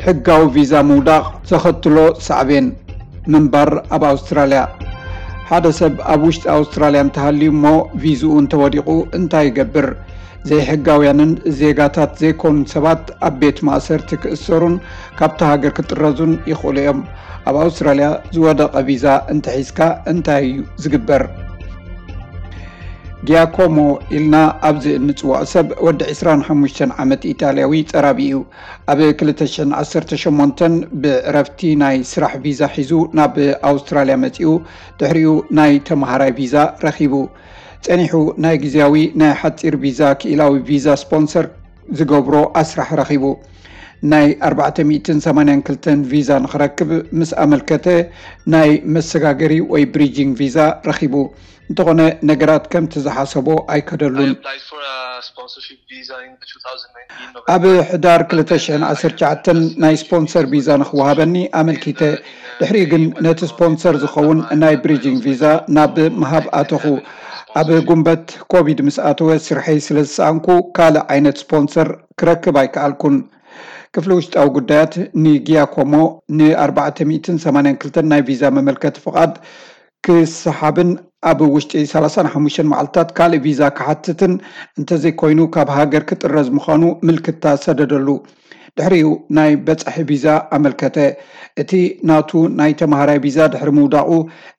ሕጋዊ ቪዛ ምውዳቕ ዘኸትሎ ሳዕቤን ምንባር ኣብ ኣውስትራልያ። ሓደ ሰብ ኣብ ውሽጢ ኣውስትራልያ እንተሃልዩ እሞ ቪዝኡ እንተወዲቑ እንታይ ይገብር? ዘይሕጋውያንን ዜጋታት ዘይኮኑን ሰባት ኣብ ቤት ማእሰርቲ ክእሰሩን ካብታ ሃገር ክጥረዙን ይኽእሉ እዮም። ኣብ ኣውስትራልያ ዝወደቐ ቪዛ እንተሒዝካ እንታይ እዩ ዝግበር? ጊያኮሞ ኢልና ኣብዚ እንጽውዖ ሰብ ወዲ ዕስራን ሓሙሽተን ዓመት ኢጣልያዊ ጸራቢ እዩ። ኣብ ክልተ ሽሕን ዓሰርተ ሸሞንተን ብዕረፍቲ ናይ ስራሕ ቪዛ ሒዙ ናብ ኣውስትራልያ መጺኡ፣ ድሕሪኡ ናይ ተመሃራይ ቪዛ ረኺቡ። ጸኒሑ ናይ ግዜያዊ ናይ ሓጺር ቪዛ ክኢላዊ ቪዛ ስፖንሰር ዝገብሮ ኣስራሕ ረኺቡ። ናይ ኣርባዕተ ሚእትን ሰማንያን ክልተን ቪዛ ንኽረክብ ምስ ኣመልከተ ናይ መሰጋገሪ ወይ ብሪጂንግ ቪዛ ረኺቡ። እንተኾነ ነገራት ከምቲ ዝሓሰቦ ኣይከደሉን። ኣብ ሕዳር ክልተ ሽሕን ዓሰርተ ትሽዓተን ናይ ስፖንሰር ቪዛ ንኽወሃበኒ ኣመልኪተ። ድሕሪኡ ግን ነቲ ስፖንሰር ዝኸውን ናይ ብሪጂንግ ቪዛ ናብ ምሃብ ኣተኹ። ኣብ ጉንበት ኮቪድ ምስ ኣተወ ስርሐይ ስለ ዝሰኣንኩ ካልእ ዓይነት ስፖንሰር ክረክብ ኣይከኣልኩን። ክፍሊ ውሽጣዊ ጉዳያት ንጊያኮሞ ን ኣርባዕተ ሚእትን ሰማንያን ክልተን ናይ ቪዛ መመልከቲ ፍቓድ ክሰሓብን ኣብ ውሽጢ ሰላሳን ሓሙሽተን መዓልታት ካልእ ቪዛ ክሓትትን እንተዘይኮይኑ ካብ ሃገር ክጥረዝ ምዃኑ ምልክታ ሰደደሉ። ድሕሪኡ ናይ በጻሒ ቪዛ ኣመልከተ። እቲ ናቱ ናይ ተመሃራይ ቪዛ ድሕሪ ምውዳቑ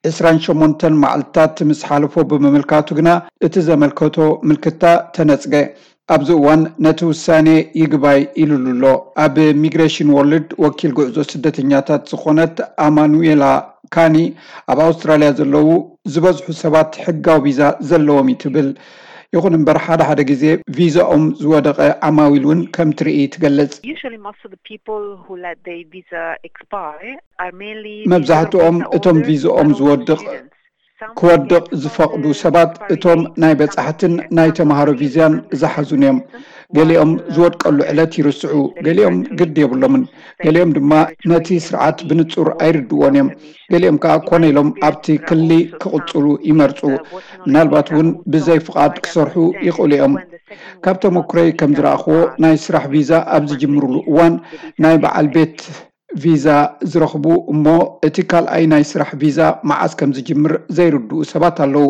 ዕስራን ሸሞንተን መዓልታት ምስ ሓለፎ ብምምልካቱ ግና እቲ ዘመልከቶ ምልክታ ተነጽገ። ኣብዚ እዋን ነቲ ውሳኔ ይግባይ ኢሉሉ ኣሎ። ኣብ ሚግሬሽን ወርልድ ወኪል ጉዕዞ ስደተኛታት ዝኾነት ኣማኑኤላ ካኒ ኣብ ኣውስትራልያ ዘለዉ ዝበዝሑ ሰባት ሕጋዊ ቪዛ ዘለዎም እዩ ትብል። ይኹን እምበር ሓደ ሓደ ግዜ ቪዛኦም ዝወደቐ ዓማዊል እውን ከም ትርኢ ትገልጽ። Usually most of the people who let their visa expire are mainly መብዛሕትኦም እቶም ቪዛኦም ዝወድቕ ክወድቕ ዝፈቕዱ ሰባት እቶም ናይ በጻሕትን ናይ ተምሃሮ ቪዛን ዝሓዙን እዮም። ገሊኦም ዝወድቀሉ ዕለት ይርስዑ፣ ገሊኦም ግዲ የብሎምን፣ ገሊኦም ድማ ነቲ ስርዓት ብንጹር ኣይርድዎን እዮም። ገሊኦም ከኣ ኮነ ኢሎም ኣብቲ ክሊ ክቕጽሉ ይመርጹ። ምናልባት እውን ብዘይ ፍቓድ ክሰርሑ ይኽእሉ እዮም። ካብ ተመኩረይ ከም ዝረኣኽዎ ናይ ስራሕ ቪዛ ኣብ ዝጅምሩሉ እዋን ናይ በዓል ቤት ቪዛ ዝረኽቡ እሞ እቲ ካልኣይ ናይ ስራሕ ቪዛ መዓስ ከም ዝጅምር ዘይርድኡ ሰባት ኣለዉ።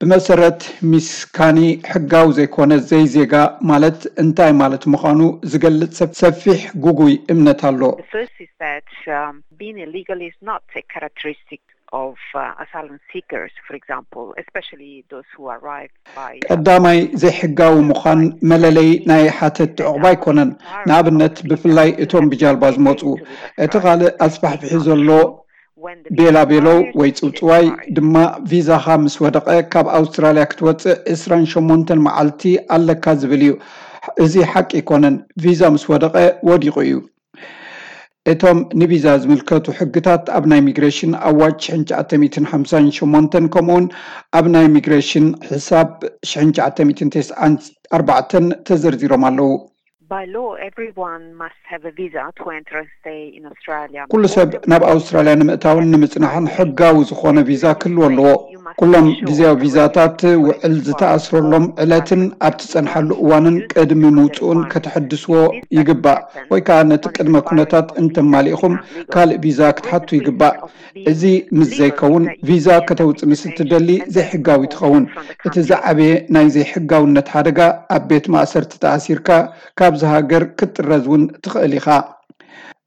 ብመሰረት ሚስ ካኒ ሕጋዊ ዘይኮነ ዘይዜጋ ማለት እንታይ ማለት ምዃኑ ዝገልጽ ሰፊሕ ጉጉይ እምነት ኣሎ። The first is that um, being illegal is not a characteristic of uh, asylum seekers, for example, especially those who arrive by. ቀዳማይ ዘይሕጋዊ ምዃን መለለይ ናይ ሓተት ዕቑባ ኣይኮነን። ንኣብነት ብፍላይ እቶም ብጃልባ ዝመፁ። እቲ ካልእ ኣስፋሕፊሑ ዘሎ ቤላ ቤሎ ወይ ፅውፅዋይ ድማ ቪዛኻ ምስ ወደቐ ካብ ኣውስትራልያ ክትወፅእ ዕስራን ሸሞንተን መዓልቲ ኣለካ ዝብል እዩ። እዚ ሓቂ ኣይኮነን። ቪዛ ምስ ወደቐ ወዲቑ እዩ። እቶም ንቪዛ ዝምልከቱ ሕግታት ኣብ ናይ ሚግሬሽን ኣዋጅ ሽሕን ትሽዓተ ሚእትን ሓምሳን ሸሞንተን ከምኡውን ኣብ ናይ ሚግሬሽን ሕሳብ ሽሕን ትሽዓተ ሚእትን ተስዓን ኣርባዕተን ተዘርዚሮም ኣለዉ። By law, everyone must have a visa to enter and stay in Australia. ኩሉ ሰብ ናብ ኣውስትራልያ ንምእታውን ንምጽናሕን ሕጋዊ ዝኾነ ቪዛ ክህልዎ ኣለዎ። ኩሎም ግዜያዊ ቪዛታት ውዕል ዝተኣስረሎም ዕለትን ኣብ ትጸንሓሉ እዋንን ቅድሚ ምውጽኡን ከተሐድስዎ ይግባእ፣ ወይ ከኣ ነቲ ቅድመ ኩነታት እንተማሊእኹም ካልእ ቪዛ ክትሓቱ ይግባእ። እዚ ምስ ዘይከውን ቪዛ ከተውጽእ ምስ እትደሊ ዘይሕጋዊ ትኸውን። እቲ ዝዓበየ ናይ ዘይሕጋውነት ሓደጋ ኣብ ቤት ማእሰርቲ ተኣሲርካ ካብዚ ሃገር ክትጥረዝ እውን ትኽእል ኢኻ።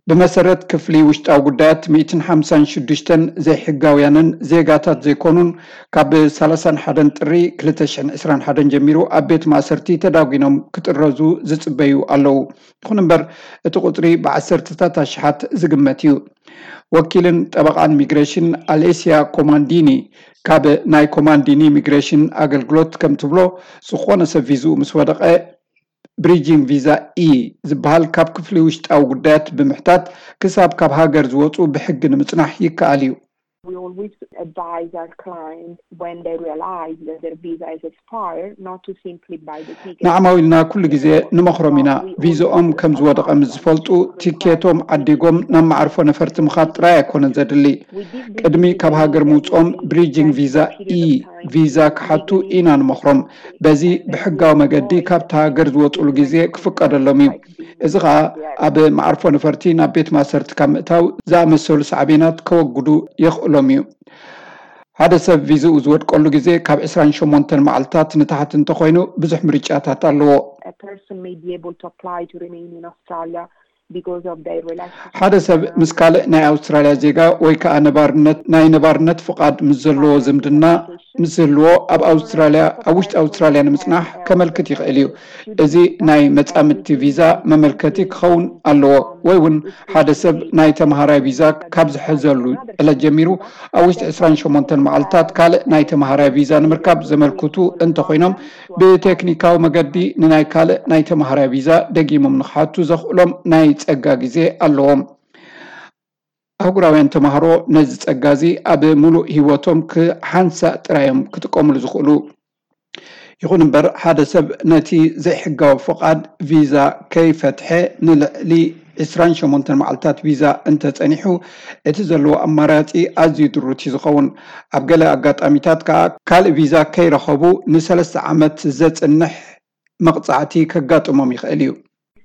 ብመሰረት ክፍሊ ውሽጣዊ ጉዳያት ሚእትን ሓምሳን ሽዱሽተን ዘይሕጋውያንን ዜጋታት ዘይኮኑን ካብ ሰላሳን ሓደን ጥሪ ክልተ ሽሕን ዕስራን ሓደን ጀሚሩ ኣብ ቤት ማእሰርቲ ተዳጒኖም ክጥረዙ ዝጽበዩ ኣለዉ። ይኹን እምበር እቲ ቁጽሪ ብዓሰርተታት ኣሽሓት ዝግመት እዩ። ወኪልን ጠበቓን ሚግሬሽን ኣሌስያ ኮማንዲኒ ካብ ናይ ኮማንዲኒ ሚግሬሽን ኣገልግሎት ከም ትብሎ ዝኾነ ሰብ ቪዝኡ ምስ ወደቐ ብሪጂንግ ቪዛ ኢ ዝበሃል ካብ ክፍሊ ውሽጣዊ ጉዳያት ብምሕታት ክሳብ ካብ ሃገር ዝወፁ ብሕጊ ንምፅናሕ ይከኣል እዩ። We always advise our clients when they realize that their visa is expired not to simply buy the ticket. ንዓማዊልና ኩሉ ግዜ ንመኽሮም ኢና። ቪዝኦም ከም ዝወደቐ ምስ ዝፈልጡ ቲኬቶም ዓዲጎም ናብ መዓርፎ ነፈርቲ ምኻድ ጥራይ ኣይኮነን ዘድሊ። ቅድሚ ካብ ሃገር ምውፅኦም ብሪጂንግ ቪዛ ኢ ቪዛ ክሓቱ ኢና ንመኽሮም። በዚ ብሕጋዊ መገዲ ካብቲ ሃገር ዝወፅሉ ግዜ ክፍቀደሎም እዩ። እዚ ኸኣ ኣብ መዓርፎ ነፈርቲ ናብ ቤት ማእሰርቲ ካብ ምእታው ዝኣመሰሉ ሳዕቤናት ከወግዱ የኽእሎም እዩ። ሓደ ሰብ ቪዝኡ ዝወድቀሉ ግዜ ካብ ዕስራን ሸሞንተን መዓልታት ንታሕቲ እንተኾይኑ ብዙሕ ምርጫታት ኣለዎ። A person may be able to apply to remain in Australia because of their relationship. ሓደ ሰብ ምስ ካልእ ናይ ኣውስትራልያ ዜጋ ወይ ከዓ ነባርነት ናይ ነባርነት ፍቓድ ምስ ዘለዎ ዝምድና ምስ ዝህልዎ ኣብ ኣውስትራልያ ኣብ ውሽጢ ኣውስትራልያ ንምፅናሕ ከመልክት ይኽእል እዩ። እዚ ናይ መፃምድቲ ቪዛ መመልከቲ ክኸውን ኣለዎ። ወይ እውን ሓደ ሰብ ናይ ተምሃራይ ቪዛ ካብ ዝሕዘሉ ዕለት ጀሚሩ ኣብ ውሽጢ ዕስራን ሸሞንተን መዓልታት ካልእ ናይ ተምሃራይ ቪዛ ንምርካብ ዘመልክቱ እንተኾይኖም ብቴክኒካዊ መገዲ ንናይ ካልእ ናይ ተምሃራይ ቪዛ ደጊሞም ንክሓቱ ዘኽእሎም ናይ ጸጋ ግዜ ኣለዎም። ኣህጉራውያን ተምሃሮ ነዚ ጸጋ እዚ ኣብ ምሉእ ህይወቶም ክሓንሳእ ጥራዮም ክጥቀሙሉ ዝኽእሉ። ይኹን እምበር ሓደ ሰብ ነቲ ዘይሕጋዊ ፍቓድ ቪዛ ከይፈትሐ ንልዕሊ ዕስራን ሸሞንተን መዓልታት ቪዛ እንተጸኒሑ እቲ ዘለዎ ኣማራጺ ኣዝዩ ድሩት እዩ ዝኸውን። ኣብ ገለ ኣጋጣሚታት ከኣ ካልእ ቪዛ ከይረኸቡ ንሰለስተ ዓመት ዘጽንሕ መቕጻዕቲ ከጋጥሞም ይኽእል እዩ።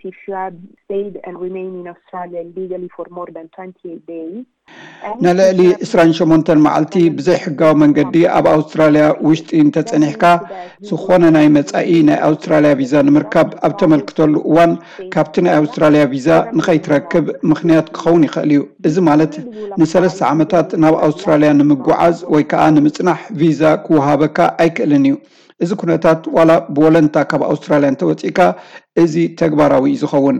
If you have stayed and remain in Australia illegally for more than twenty-eight days, ንልዕሊ ዕስራን ሸሞንተን መዓልቲ ብዘይሕጋዊ መንገዲ ኣብ ኣውስትራልያ ውሽጢ እንተጸኒሕካ ዝኾነ ናይ መጻኢ ናይ ኣውስትራልያ ቪዛ ንምርካብ ኣብ ተመልክተሉ እዋን ካብቲ ናይ ኣውስትራልያ ቪዛ ንኸይትረክብ ምኽንያት ክኸውን ይኽእል እዩ። እዚ ማለት ንሰለስተ ዓመታት ናብ ኣውስትራልያ ንምጉዓዝ ወይ ከዓ ንምጽናሕ ቪዛ ክወሃበካ ኣይክእልን እዩ። እዚ ኩነታት ዋላ ብወለንታ ካብ ኣውስትራልያ እንተወፂእካ እዚ ተግባራዊ እዩ ዝኸውን።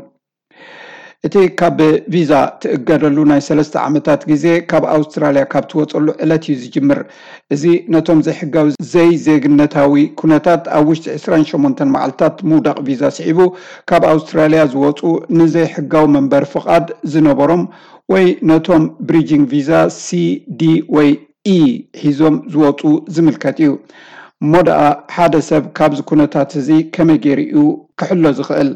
እቲ ካብ ቪዛ ትእገደሉ ናይ ሰለስተ ዓመታት ግዜ ካብ ኣውስትራልያ ካብ ትወፀሉ ዕለት እዩ ዝጅምር። እዚ ነቶም ዘይሕጋዊ ዘይዜግነታዊ ኩነታት ኣብ ውሽጢ ዕስራን ሸሞንተን መዓልታት ምውዳቕ ቪዛ ስዒቡ ካብ ኣውስትራልያ ዝወፁ ንዘይሕጋዊ መንበሪ ፍቓድ ዝነበሮም ወይ ነቶም ብሪጂንግ ቪዛ ሲ፣ ዲ ወይ ኢ ሒዞም ዝወፁ ዝምልከት እዩ። እሞ ደኣ ሓደ ሰብ ካብዚ ኩነታት እዚ ከመይ ገይሩ እዩ ክሕሎ ዝኽእል?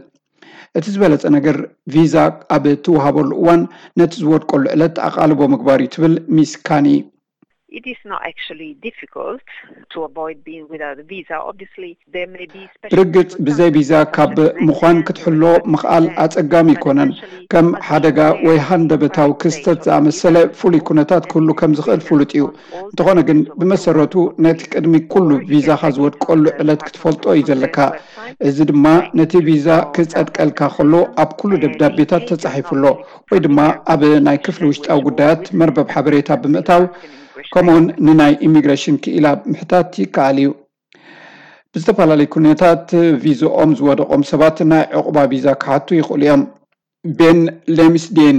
እቲ ዝበለጸ ነገር ቪዛ ኣብ እትወሃበሉ እዋን ነቲ ዝወድቀሉ ዕለት ኣቓልቦ ምግባር እዩ ትብል ሚስ ካኒ። It is not actually difficult to avoid being without a visa. Obviously, there may be special ብርግጽ ብዘይ ቪዛ ካብ ምዃን ክትሕሎ ምኽኣል ኣጸጋሚ ኣይኮነን። ከም ሓደጋ ወይ ሃንደበታዊ ክስተት ዝኣመሰለ ፍሉይ ኩነታት ክህሉ ከም ዝኽእል ፍሉጥ እዩ። እንተኾነ ግን ብመሰረቱ ነቲ ቅድሚ ኩሉ ቪዛኻ ዝወድቀሉ ዕለት ክትፈልጦ እዩ ዘለካ። እዚ ድማ ነቲ ቪዛ ክጸድቀልካ ከሎ ኣብ ኩሉ ደብዳቤታት ተጻሒፉ ኣሎ ወይ ድማ ኣብ ናይ ክፍሊ ውሽጣዊ ጉዳያት መርበብ ሓበሬታ ብምእታው ከምኡውን ንናይ ኢሚግሬሽን ክኢላ ምሕታት ይከኣል እዩ። ብዝተፈላለዩ ኩነታት ቪዝኦም ዝወደቖም ሰባት ናይ ዕቑባ ቪዛ ክሓቱ ይኽእሉ እዮም። ቤን ሌምስዴን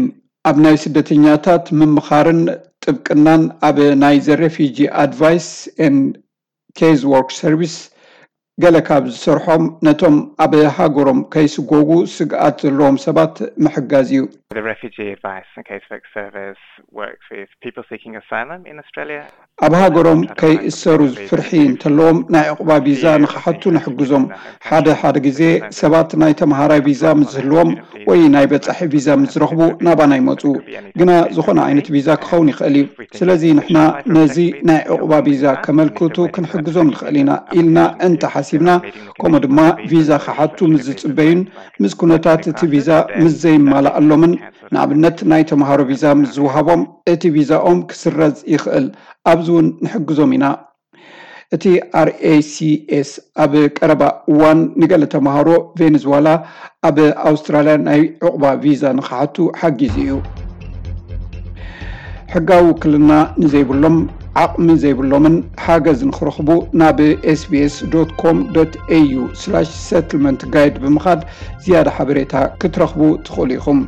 ኣብ ናይ ስደተኛታት ምምኻርን ጥብቅናን ኣብ ናይ ዘ ሬፊጂ ኣድቫይስ ኤንድ ኬዝ ወርክ ሰርቪስ ገለ ካብ ዝሰርሖም ነቶም ኣብ ሃገሮም ከይስጎጉ ስግኣት ዘለዎም ሰባት ምሕጋዝ እዩ። The Refugee Advice and Casework Service works with people seeking asylum in Australia. ኣብ ሃገሮም ከይእሰሩ ፍርሒ እንተለዎም ናይ ዕቑባ ቪዛ ንክሓቱ ንሕግዞም። ሓደ ሓደ ግዜ ሰባት ናይ ተምሃራይ ቪዛ ምስ ዝህልዎም ወይ ናይ በጻሒ ቪዛ ምስ ዝረኽቡ ናባና ይመጹ። ግና ዝኾነ ዓይነት ቪዛ ክኸውን ይኽእል እዩ። ስለዚ ንሕና ነዚ ናይ ዕቑባ ቪዛ ከመልክቱ ክንሕግዞም ንኽእል ኢና ኢልና እንተሓሲብና፣ ከምኡ ድማ ቪዛ ክሓቱ ምስ ዝጽበዩን ምስ ኩነታት እቲ ቪዛ ምስ ዘይማላኣሎምን፣ ንኣብነት ናይ ተምሃሮ ቪዛ ምስ ዝወሃቦም እቲ ቪዛኦም ክስረዝ ይኽእል። ኣብዚ እውን ንሕግዞም ኢና። እቲ ኣር ኤ ሲ ኤስ ኣብ ቀረባ እዋን ንገለ ተምሃሮ ቬኔዙዋላ ኣብ ኣውስትራልያ ናይ ዕቑባ ቪዛ ንክሓቱ ሓጊዙ እዩ። ሕጋዊ ውክልና ንዘይብሎም፣ ዓቕሚ ዘይብሎምን ሓገዝ ንክረኽቡ ናብ ኤስ ቢ ኤስ ዶት ኮም ዶት ኤ ዩ ስላሽ ሰትልመንት ጋይድ ብምኻድ ዝያዳ ሓበሬታ ክትረኽቡ ትኽእሉ ኢኹም።